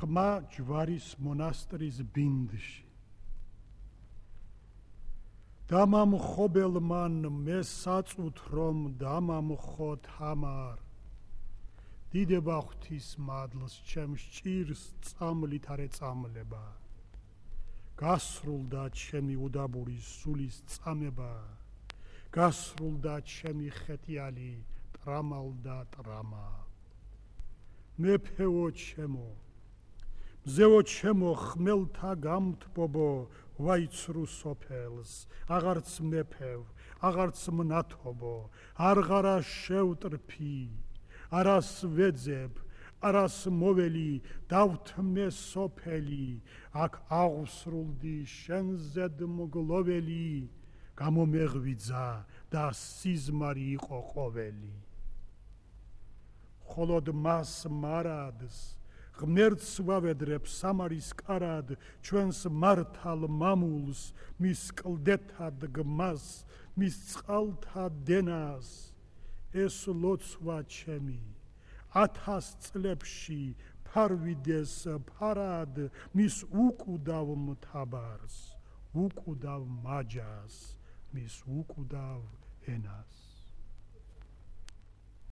ხმა ჯვარის მონასტრის ბინდში. დამამხობელ მან მე საწუთ რომ დამამხო თამარ. დიდება ღვთის მადლს ჩემ ჭირს წამლით არ ეწამლება. გასრულდა ჩემი უდაბური სულის წამება. გასრულდა ჩემი ხეთიალი ტრამალდა ტრამა. მეფეო ჩემო, მზეო ჩემო ხმელთა გამთბობო ვაიცრუ სოფელს, აღარც მეფევ, აღარც მნათობო, არღარა შევტრფი, არას ვეძებ, არას მოველი, დავთმე სოფელი, აქ აღსრულდი შენზედ მგლოველი, გამომეღვიძა და სიზმარი იყო ყოველი. ხოლოდ მას მარადს ღმერთს ვავედრებ სამარის კარად, ჩვენს მართალ მამულს, მის კლდეთა დგმას, მის წყალთა დენას. ეს ლოცვა ჩემი 1000 წლებში ფარვიდეს ფარად, მის უკვდავ მთაბარს, უკვდავ მაჯას, მის უკვდავ ენას.